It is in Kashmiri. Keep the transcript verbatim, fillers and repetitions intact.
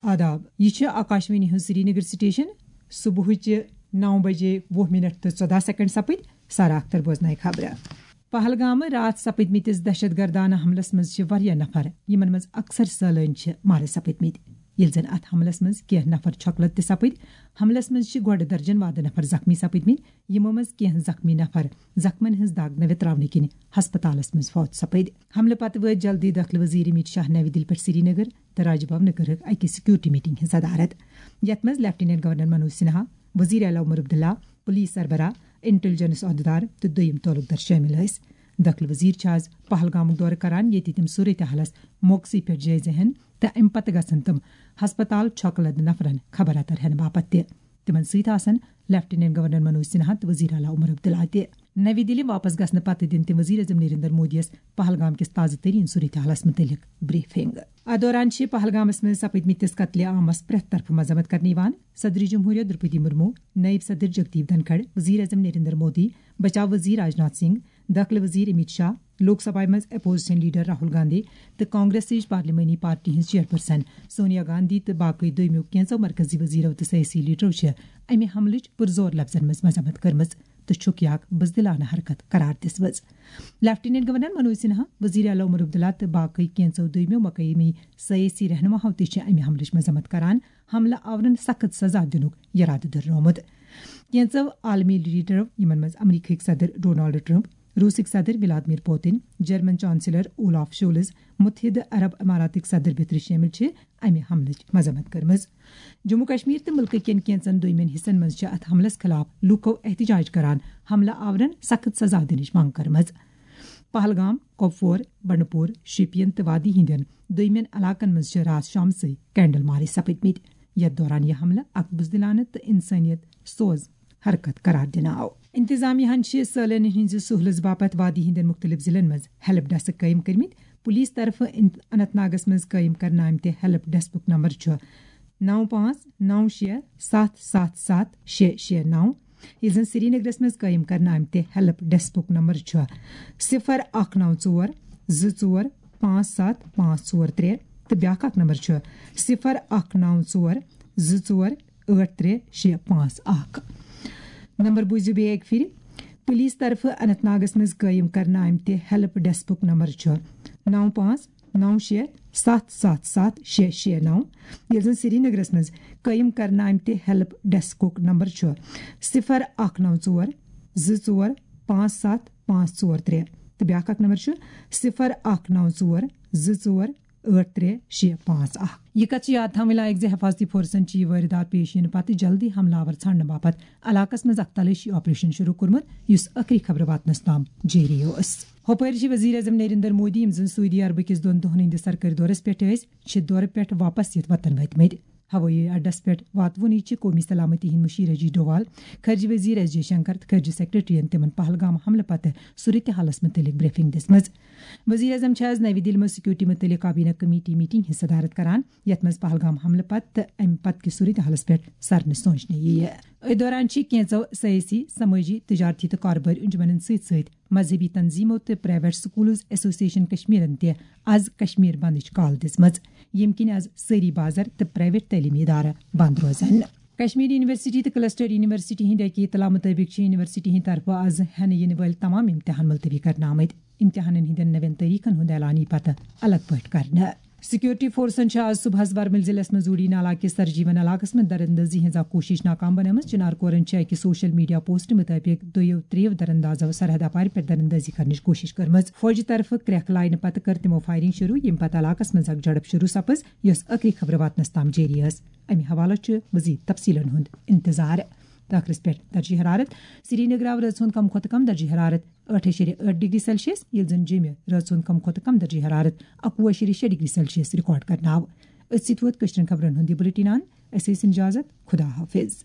آداب، یہِ چھِ آکاشوانی ہٕنٛز سرینگر سٹیشن۔ صبحٕچہِ نو بجے وُہ منٹ تہٕ ژۄداہ سیکنڈ سپٕدۍ۔ سارا اختر بوزنایہِ خبرٕ۔ پہلگامہٕ راتھ سپٕدمٕتِس دہشت گردانہٕ حملس منٛز چھِ واریاہ نفر، یِمن منٛز اکثر سٲلٲنۍ چھِ مارٕ سپٕدمٕتۍ۔ ییٚلہِ زن اتھ حملس منٛز کینٛہہ نفر چھۄکہٕ لد تہِ سپٕدۍ۔ حملس منٛز چھِ گۄڈٕ درجن وادٕ نفر زخمی سپٕدمٕتۍ، یِمو منٛز کینٛہہ زخمی نفر زخمن ہٕنٛز دگ نوِ تراونہٕ کِنۍ ہسپتالس منٛز فوت سپٕدۍ۔ حملہٕ پتہٕ وٲتۍ جلدی دٲخلہٕ وزیر امیت شاہ نوِ دِلہِ پٮ۪ٹھ سرینگر تہٕ راج بھونہٕ کٔرٕکھ اکہِ سیکورٹی میٹنگ ہٕنٛز صدارت، یتھ منٛز لیفٹیننٹ گورنر منوج سنہا، وزیر اعلیٰ عمر عبداللہ، پولیس سربراہ، انٹیلیجنس عہدیدار تہٕ دوٚیم تعلقدار شٲمِل ٲسۍ۔ دٲخلہٕ وزیر چھِ آز پہلگامُک دورٕ کران، ییٚتہِ تِم صورتحالس موقعسٕے پٮ۪ٹھ جٲیزٕ ہٮ۪ن تہٕ امہِ پتہٕ گژھن تِم ہسپتال چھۄکہٕ لد نفرن خبر اتر ہٮ۪نہٕ باپتھ تہِ۔ تِمن سۭتۍ آسن لیفٹیننٹ گورنر منوج سنہا تہٕ وزیر اعلیٰ عمر عبداللہ تہِ۔ نوِ دِلہِ واپس گژھنہٕ پتہٕ دِن تِم وزیر اعظم نریندر مودیَس پہلگام کِس تازٕ تریٖن صورتحالس مُتعلق بریفنگ۔ اتھ دوران چھِ پہلگامس منٛز سپٕدمٕتِس قتلِ عامس پرٛٮ۪تھ طرفہٕ مذمت کرنہٕ یِوان۔ صدر جمہوریہ درپدی مرمو، نائب صدر جگدیپ دھنکھڑ، وزیر اعظم نریندر مودی، بچاو وزیر راجناتھ سنگھ، دٲخلہٕ وزیر امیت شاہ، لوک سبھایہ منٛز اپوزیشن لیڈر راہل گاندھی تہٕ کانگریسٕچ پارلیمانی پارٹی ہٕنٛز چیئرپرسن سونیا گاندھی تہٕ باقٕے دوٚیمیو کینٛژو مرکزی وزیرو تہٕ سیٲسی لیڈرو چھِ امہِ حملٕچ پُرزور لفظن منٛز مذمت کٔرمٕژ تہٕ چھُکھ یہِ اکھ بزدلانہٕ حرکت قرار دِژمٕژ۔ لیفٹیننٹ گورنر منوج سنہا، وزیر اعلیٰ عمر عبداللہ تہٕ باقٕے کینٛژو دوٚیمیو مقٲمی سیٲسی رہنماہو تہِ چھِ امہِ حملٕچ مذمت کران، حملہٕ آورن سخت سزا دِنُک یرادٕ دۄہرونمُت۔ کینٛژو عالمی لیڈرو، یِمن منٛز امریکہٕکۍ صدر ڈونالڈ ٹرمپ، روسٕکۍ صدر Vladimir Putin, German chancellor Olaf Scholz, متحدہ عرب اماراتٕکۍ صدر بیترِ شٲمِل، چھِ امہِ حملٕچ مذمت کٔرمٕژ۔ جموں کشمیر تہٕ مُلکہٕ کٮ۪ن کینٛژن دوٚیمٮ۪ن حصن منٛز چھِ اتھ حملس خلاف لوٗکو احتجاج کران حملہٕ آورن سخت سزا دِنٕچ منٛگ کٔرمٕژ۔ پہلگام، کۄپوور، بنڈپور، شوپین تہٕ وادی ہٕنٛدٮ۪ن دوٚیمٮ۪ن علاقن منٛز چھِ راتھ شامسٕے کینڈل مارچ سپٕدمٕتۍ، یتھ دوران یہِ حملہٕ اکھ بزدلانہٕ تہٕ انسٲنیت سوز حرکت قرار دِنہٕ آو۔ انتظامیہ ہن چھِ سٲلٲنین ہٕنٛزِ سہوٗلژ باپتھ وادی ہٕنٛدٮ۪ن مُختٔلِف ضلعن منٛز ہیلپ ڈیسک قٲیِم کٔرمٕتۍ۔ پولیس طرفہٕ ان-، اننت ناگس منٛز قٲیِم کرنہٕ آمتہِ ہیلپ ڈیسکُک نمبر چھُ نو پانٛژھ نو شےٚ ستھ ستھ ستھ شےٚ شےٚ نو۔ ییٚلہِ زن سرینگرس منٛز قٲیِم کرنہٕ آمتہِ ہیلپ ڈیسکُک نمبر چھُ صفر اکھ نو ژور زٕ ژور پانٛژھ ستھ پانٛژھ ژور ترٛےٚ تہٕ بیٛاکھ اکھ نمبر چھُ صفر اکھ نو ژور زٕ ژور ٲٹھ ترٛےٚ شےٚ پانٛژھ اکھ۔ نمبر بوٗزِو بیٚیہِ اَکہِ پھِرِ۔ پُلیٖس طرفہٕ اننت ناگَس منٛز قٲیِم کرنہٕ آمتہِ ہیلپ ڈیسکُک نمبر چھُ نو پانٛژھ نو شےٚ ستھ ستھ ستھ شےٚ شےٚ نو، ییٚلہِ زَن سرینگرَس منٛز قٲیِم کرنہٕ آمتہِ ہیلپ ڈیسکُک نمبر چھُ صفر اکھ نو ژور زٕ ژور پانٛژھ ستھ پانٛژھ ژور ترٛےٚ تہٕ بیٛاکھ اکھ نمبر چھُ صفر اکھ نو ژور زٕ ژور ٲٹھ ترٛےٚ شےٚ پانٛژھ اکھ۔ یہِ کتھ چھِ یاد تھاوٕنۍ لایق زِ حفاظتی فورسن چھِ یہِ وٲرِدات پیش یِنہٕ پتہٕ جلدی حملہٕ آور ژھانڈنہٕ باپتھ علاقس منٛز اکھ تلٲشی آپریشن شروع کوٚرمُت، یُس ٲخری خبرٕ واتنس تام جٲری اوس۔ ہُپٲرۍ چھِ وزیر اعظم نریندر مودی، یِم زن سعودی عربہٕ کِس دۄن دۄہن ہٕنٛدِس سرکٲرۍ دورس پٮ۪ٹھ ٲسۍ، چھِ دورٕ پٮ۪ٹھ واپس یِتھ وطن وٲتمٕتۍ۔ ہوٲیی اڈس پٮ۪ٹھ واتوُنٕچ چھِ قومی سلامتی ہٕنٛدۍ مُشیر اجیت ڈووال، خارجہ وزیر ایس جے شنکر تہٕ خارجہ سیکرٹریَن تِمن پہلگام حملہٕ پتہٕ صورتحالس مُتعلق بریفنگ دِژمٕژ۔ وزیر اعظم چھِ آز نَوِ دِلہِ منٛز سیکورٹی مُتعلق کابینہ کمیٹی میٹنگ ہٕنٛز صدارت کران، یَتھ منٛز پہلگام حملہٕ پتہٕ تہٕ اَمہِ پتہٕ کِس صورتحالس پٮ۪ٹھ سرنہٕ سونچنہٕ یِیہِ۔ أتھۍ دوران چھِ کینٛژو سیٲسی، سمٲجی، تجارتی تہٕ کاربٲرۍ انجمنن سۭتۍ سۭتۍ مذہبی تنظیمو تہٕ پرائیویٹ سکولز ایسوسیشن کشمیرن تہِ از کشمیر بندٕچ کال دِژمٕژ، ییٚمہِ کِنۍ از سٲری بازر تہٕ پرائیویٹ تعلیمی ادارٕ بند روزن۔ کشمیر یونیورسٹی تہٕ کلسٹر یونیورسٹی ہٕنٛدِ اکہِ اطلاع مُطٲبِق چھِ یونیورسٹی ہٕنٛدِ طرفہٕ از ہٮ۪نہٕ یِنہٕ وٲلۍ تمام امتحان ملتوی کرنہٕ آمٕتۍ۔ امتحانن ہٕنٛدٮ۪ن نوٮ۪ن تٲریخن ہُنٛد اعلان یی پتہٕ الگ پٲٹھۍ کرنہٕ۔ سیکورٹی فورسن چھِ از صبحس ورمل ضلعس منٛز زوڑی نالا کِس سرجیون علاقس منٛز دراندازی ہٕنٛز اکھ کوٗشش ناکام بنٲومٕژ۔ چنار کورن چھِ اکہِ سوشل میڈیا پوسٹ مُطٲبِق دۄیو ترٛیٚیو دراندازو سرحد اپارِ پٮ۪ٹھ دراندازی کرنٕچ کوٗشش کٔرمٕژ۔ فوجہِ طرفہٕ کرٛیکھ لاینہٕ پتہٕ کٔر تِمو فائرنگ شروع، ییٚمہِ پتہٕ علاقس منٛز اکھ جھڑپ شروع سپٕز، یۄس ٲخری خبرٕ واتنس تام جٲری ٲس۔ امہِ حوالہٕ چھُ مزید تفصیلن ہُنٛد انتظار۔ ٹاکرس پٮ۪ٹھ درجہ حرارت۔ سرینگر آو رٲژ ہُنٛد کم کھۄتہٕ کم درجہ حرارت ٲٹھ اَشیریہ ٲٹھ ڈگری سیلسیس، ییٚلہِ زن جیٚمہِ رٲژ ہُنٛد کم کھۄتہٕ کم درجہ حرارت اَکوُہ اَشیریہ شےٚ ڈگری سیلسیس ریکارڈ کرنہٕ آو۔ أتھۍ سۭتۍ ووت کٲشرٮ۪ن خبرن ہُنٛد یہِ بُلٹن اند۔ أسۍ ٲسۍ اجازت۔ خدا حافظ۔